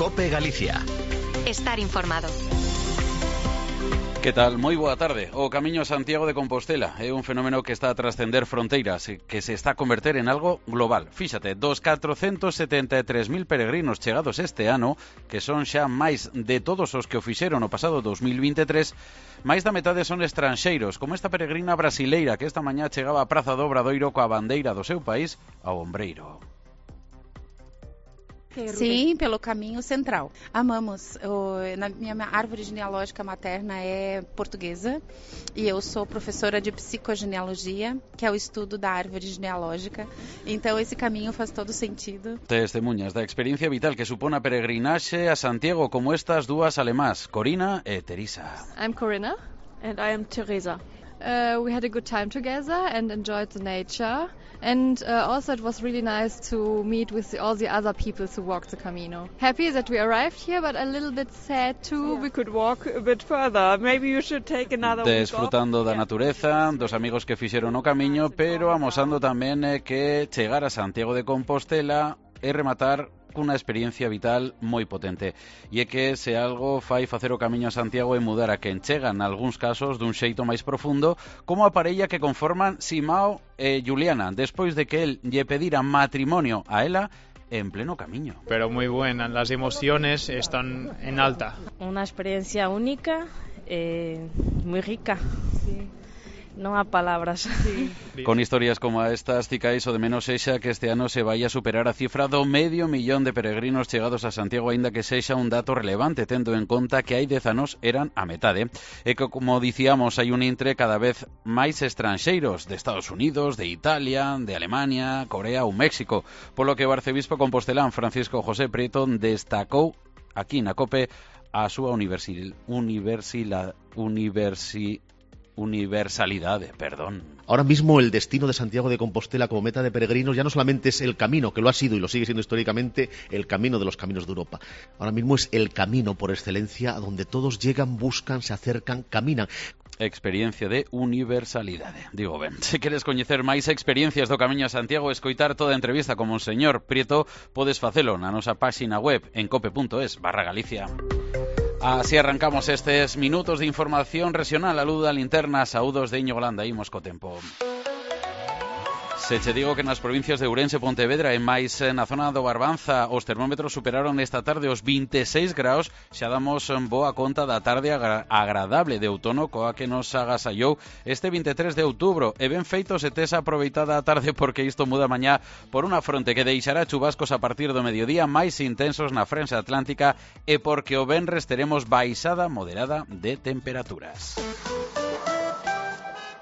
COPE Galicia. Estar informado. Que tal? Moi boa tarde. O Camiño a Santiago de Compostela é un fenómeno que está a trascender fronteiras e que se está a converter en algo global. Fíxate, dos 473.000 peregrinos chegados este ano, que son xa máis de todos os que o fixeron no pasado 2023, máis da metade son estranxeiros, como esta peregrina brasileira que esta mañá chegaba á Praza do Obradoiro coa bandeira do seu país ao ombreiro. Sim, pelo caminho central. Amamos. Na minha árvore genealógica materna é portuguesa e eu sou professora de psicogenealogia, que é o estudo da árvore genealógica. Então esse caminho faz todo sentido. Testemunhas da experiencia vital que supón a peregrinaxe a Santiago como estas dúas alemás, Corina e Teresa. I'm Corinna and I am Teresa. We had a good time together and enjoyed the nature. And also it was really nice to meet with all the other people who walked the Camino. Happy that we arrived here, but a little bit sad too. We could walk a bit further. Maybe you should take another week off. Desfrutando da natureza, dos amigos que fixeron o camiño, pero amosando tamén que chegar a Santiago de Compostela e rematar cunha experiencia vital moi potente. E é que se algo fai facer o camiño a Santiago e mudar a quen chega, nalgúns casos, dun xeito máis profundo, como a parella que conforman Simao e Juliana, despois de que el lle pedira matrimonio a ela en pleno camiño. Pero muy buena, las emociones están en alta. Una experiencia única, muy rica. Sí. Non há palabras. Sí. Con historias como estas, cicais o de menos sexa que este ano se vai a superar a cifra do 500.000 de peregrinos chegados a Santiago, aínda que sexa un dato relevante, tendo en conta que hai 10 anos eran a metade. E que, como dicíamos, hai un intre cada vez máis estranxeiros de Estados Unidos, de Italia, de Alemania, Corea ou México, polo que o arcebispo compostelán Francisco José Prieto destacou aquí na COPE a súa universalidade, perdón. Ahora mismo el destino de Santiago de Compostela como meta de peregrinos ya no solamente es el camino, que lo ha sido y lo sigue siendo históricamente el camino de los caminos de Europa. Ahora mismo es el camino por excelencia a donde todos llegan, buscan, se acercan, caminan. Experiencia de universalidade. Digo ben, se queres coñecer máis experiencias do Camiño a Santiago e escoitar toda a entrevista con Monseñor Prieto, podes facelo na nosa páxina web en cope.es/Galicia. Así arrancamos estes minutos de información regional a luz da linterna. Saúdos de Íñigo Landa, imos co tempo. Se che digo que nas provincias de Ourense e Pontevedra e máis na zona do Barbanza os termómetros superaron esta tarde os 26 graus, xa damos boa conta da tarde agradable de outono coa que nos agasallou este 23 de outubro. E ben feito se tes aproveitada a tarde, porque isto muda mañá por unha fronte que deixará chubascos a partir do mediodía máis intensos na frenxa atlántica e porque o venres teremos baixada moderada de temperaturas.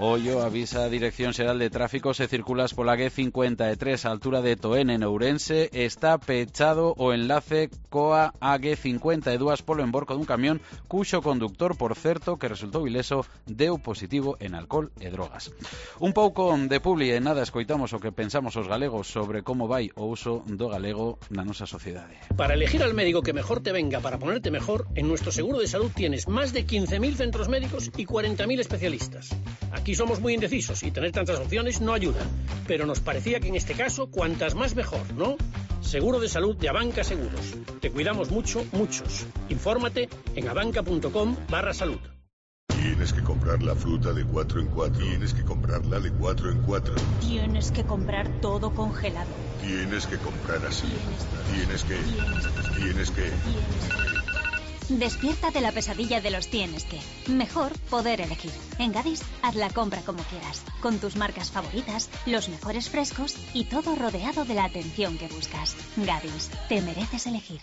Ollo avisa a Dirección Xeral de Tráfico se circulas pola A53 a altura de Toén en Ourense, está pechado o enlace coa A52 polo emborco dun camión cuxo conductor, por certo, que resultou ileso, deu positivo en alcohol e drogas. Un pouco de publi e nada, escoitamos o que pensamos os galegos sobre como vai o uso do galego na nosa sociedade. Para elegir al médico que mejor te venga para ponerte mejor, en nuestro seguro de salud tienes más de 15.000 centros médicos y 40.000 especialistas. Aquí somos muy indecisos y tener tantas opciones no ayuda, pero nos parecía que en este caso cuantas más mejor, ¿no? Seguro de salud de Abanca Seguros. Te cuidamos mucho, muchos. Infórmate en abanca.com/salud. Tienes que comprar la fruta de 4 en 4. Tienes que comprarla de 4 en 4. Tienes que comprar todo congelado. Tienes que comprar así. Tienes que. Despierta de la pesadilla de los tienes que. Mejor poder elegir. En Gadis, haz la compra como quieras, con tus marcas favoritas, los mejores frescos y todo rodeado de la atención que buscas. Gadis, te mereces elegir.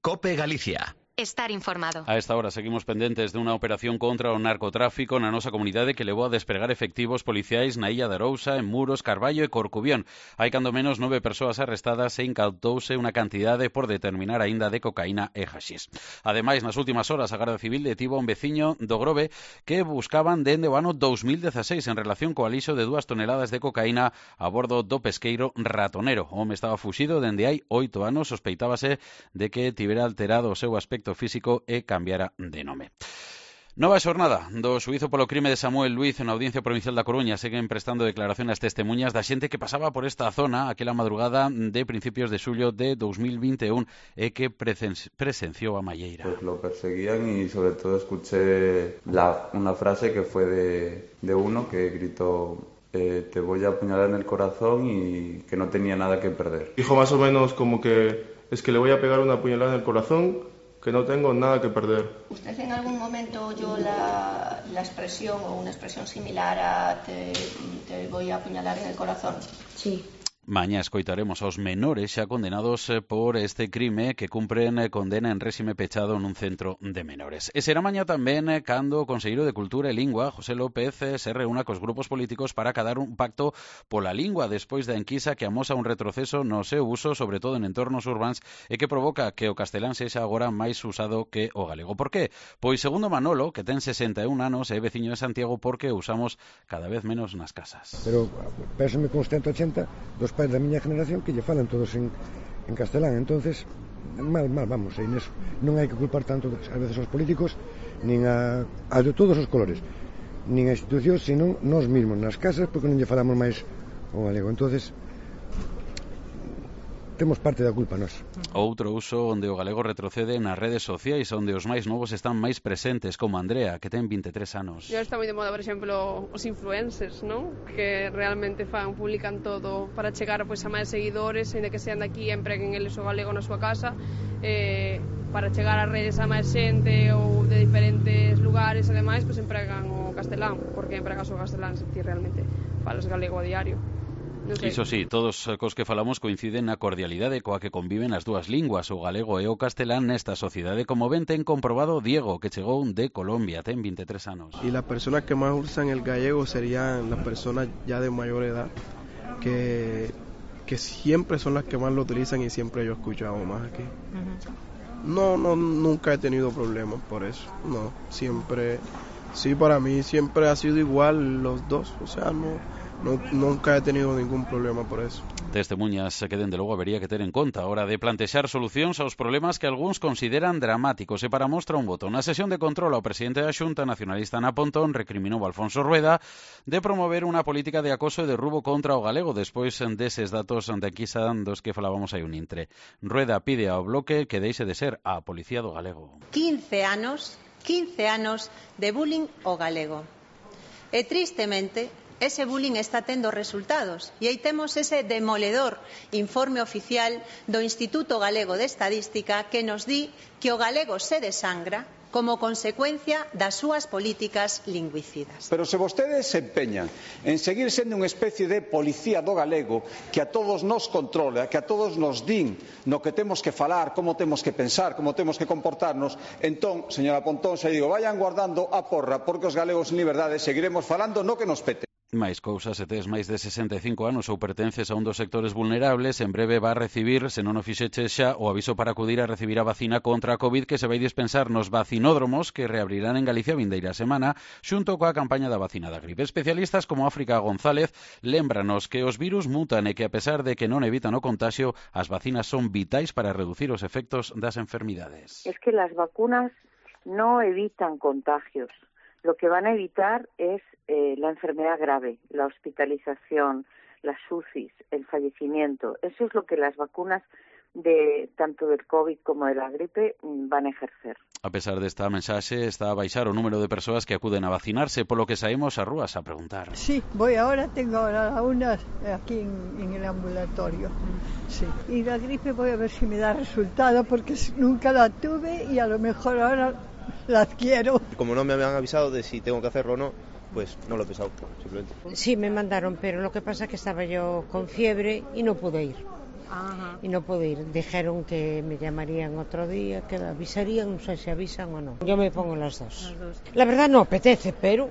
COPE Galicia. Estar informado. A esta hora seguimos pendentes dunha operación contra o narcotráfico na nosa comunidade que levou a despregar efectivos policiais na Illa de Arousa, en Muros, Carballo e Corcubión. Hai cando menos 9 persoas arrestadas e incautouse unha cantidade por determinar aínda de cocaína e haxís. Ademais, nas últimas horas, a Garda Civil detivo a un veciño do Grove que buscaban dende o ano 2016 en relación co alixo de 2 toneladas de cocaína a bordo do pesqueiro Ratonero. O home estaba fuxido dende hai 8 anos, sospeitábase de que tivera alterado o seu aspecto físico e cambiara de nome. Nova xornada do xuízo polo crime de Samuel Luiz na Audiencia Provincial da Coruña. Seguen prestando declaración as testemunhas da xente que pasaba por esta zona aquela madrugada de principios de xullo de 2021 e que presenciou a malleira. Pues lo perseguían y sobre todo escuché una frase que fue de uno que gritó te voy a apuñalar en el corazón y que no tenía nada que perder. Dijo más o menos como que es que le voy a pegar una puñalada en el corazón, que no tengo nada que perder. ¿Usted en algún momento oyó la expresión o una expresión similar a te voy a apuñalar en el corazón? Sí. Mañá escoitaremos aos menores xa condenados por este crime que cumpren condena en réxime pechado nun centro de menores. E será mañá tamén cando o Conselleiro de Cultura e Lingua, José López, se reúna cos grupos políticos para acadar un pacto pola lingua despois da enquisa que amosa un retroceso no seu uso, sobre todo en entornos urbáns, e que provoca que o castelán sexa agora máis usado que o galego. Por qué? Pois segundo Manolo, que ten 61 anos e é veciño de Santiago, porque usamos cada vez menos nas casas. Pero pésame con 180 dos pais da miña generación que lle falan todos en castelán, entonces mal vamos aí neso. Non hai que culpar tanto a veces aos políticos nin a de todos os colores, nin a institucións, senón nós mesmos nas casas, porque non lle falamos máis o galego. Entonces temos parte da culpa nós. Outro uso onde o galego retrocede nas redes sociais, onde os máis novos están máis presentes, como Andrea, que ten 23 anos. E está moi de moda, por exemplo, os influencers, ¿no? Que realmente publican todo para chegar a máis seguidores, ainda que sean de aquí, empreguen eles o galego na súa casa, para chegar a redes a máis xente ou de diferentes lugares, ademais, empregan o castelán, porque empregas o castelán se ti realmente falas galego a diario. Iso sí, todos cos que falamos coinciden na cordialidade coa que conviven as dúas linguas, o galego e o castelán, nesta sociedade, como ben ten comprobado Diego, que chegou de Colombia, ten 23 anos. Y las personas que más usan el gallego serían las personas ya de mayor edad, que siempre son las que más lo utilizan y siempre yo he escuchado más aquí. No, nunca he tenido problemas por eso, no, siempre, sí, para mí siempre ha sido igual los dos, o sea, nunca he tenido ningún problema por eso. Testemuñas que dende logo habería que ter en conta a hora de plantexar solucións aos problemas que algúns consideran dramáticos. E para mostra un voto. Na sesión de control, o presidente da Xunta nacionalista Ana Pontón recriminou a Alfonso Rueda de promover unha política de acoso e de derrubo contra o galego despois deses datos de enquisa dos que falábamos hai un intre. Rueda pide ao Bloque que deixe de ser a policía do galego. 15 anos de bullying ao galego. E tristemente ese bullying está tendo resultados e aí temos ese demoledor informe oficial do Instituto Galego de Estadística que nos di que o galego se desangra como consecuencia das súas políticas lingüicidas. Pero se vostedes se empeñan en seguir sendo unha especie de policía do galego que a todos nos controla, que a todos nos din no que temos que falar, como temos que pensar, como temos que comportarnos, entón, señora Pontón, se digo, vayan guardando a porra porque os galegos en liberdade seguiremos falando no que nos pete. Máis cousas, se tes máis de 65 anos ou pertences a un dos sectores vulnerables, en breve va a recibir, se non o fixeches xa, o aviso para acudir a recibir a vacina contra a COVID que se vai dispensar nos vacinódromos que reabrirán en Galicia vindeira semana, xunto coa campaña da vacina da gripe. Especialistas como África González lémbranos que os virus mutan e que a pesar de que non evitan o contagio, as vacinas son vitais para reducir os efectos das enfermidades. Es que las vacunas no evitan contagios. Lo que van a evitar es la enfermedad grave, la hospitalización, las UCIs, el fallecimiento. Eso es lo que las vacunas de tanto del COVID como de la gripe van a ejercer. A pesar desta mensaxe, está a baixar o número de persoas que acuden a vacinarse, polo que saímos ás rúas a preguntar. Sí, tengo ahora una aquí en el ambulatorio. Sí. Y la gripe voy a ver si me da resultado, porque nunca la tuve y a lo mejor ahora la adquiero. Como no me habían avisado de si tengo que hacerlo o no, pues no lo he pensado, simplemente. Sí, me mandaron, pero lo que pasa es que estaba yo con fiebre y no pude ir. Ajá. Y no pude ir. Dijeron que me llamarían otro día, que me avisarían, no sé si avisan o no. Yo me pongo las dos. La verdad no apetece, pero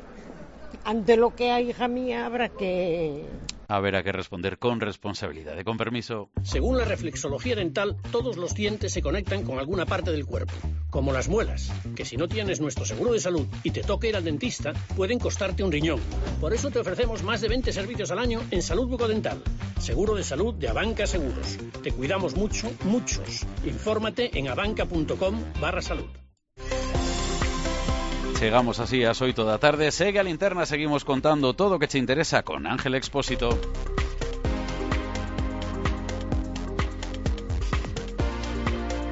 ante lo que hay, hija mía, habrá que... Habrá que responder con responsabilidad. Con permiso. Según la reflexología dental, todos los dientes se conectan con alguna parte del cuerpo, como las muelas, que si no tienes nuestro seguro de salud y te toca ir al dentista, pueden costarte un riñón. Por eso te ofrecemos más de 20 servicios al año en salud bucodental. Seguro de salud de Abanca Seguros. Te cuidamos mucho, muchos. Infórmate en abanca.com/salud. Chegamos así ás 8 da tarde. Segue a linterna, seguimos contando todo o que che interesa con Ángel Expósito.